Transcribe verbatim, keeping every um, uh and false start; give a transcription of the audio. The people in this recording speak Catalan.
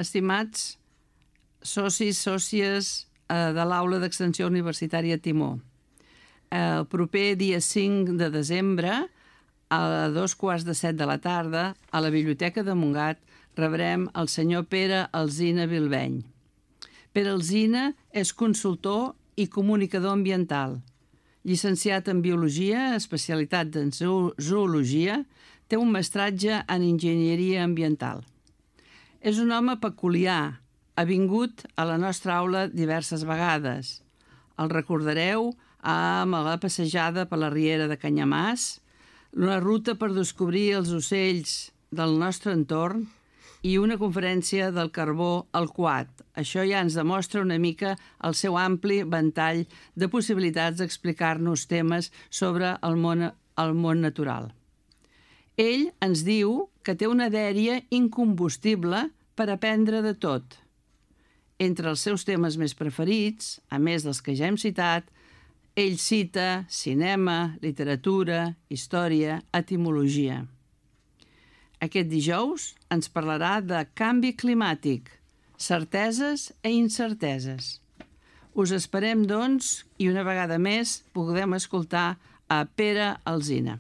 Estimats socis, sòcies eh, de l'Aula d'Extensió Universitària Timó, el proper dia cinc de desembre, a dos quarts de set de la tarda, a la Biblioteca de Montgat, rebrem el senyor Pere Alsina Bilbeny. Pere Alsina és consultor i comunicador ambiental. Llicenciat en Biologia, especialitat en Zoologia, té un mestratge en Enginyeria Ambiental. És un home peculiar, ha vingut a la nostra aula diverses vegades. El recordareu amb la passejada per la riera de Canyamàs, una ruta per descobrir els ocells del nostre entorn i una conferència del carbó al Quad. Això ja ens demostra una mica el seu ampli ventall de possibilitats d'explicar-nos temes sobre el món, el món natural. Ell ens diu que té una dèria incombustible per aprendre de tot. Entre els seus temes més preferits, a més dels que ja hem citat, ell cita cinema, literatura, història, etimologia. Aquest dijous ens parlarà de canvi climàtic, certeses i incerteses. Us esperem, doncs, i una vegada més podem escoltar a Pere Alsina.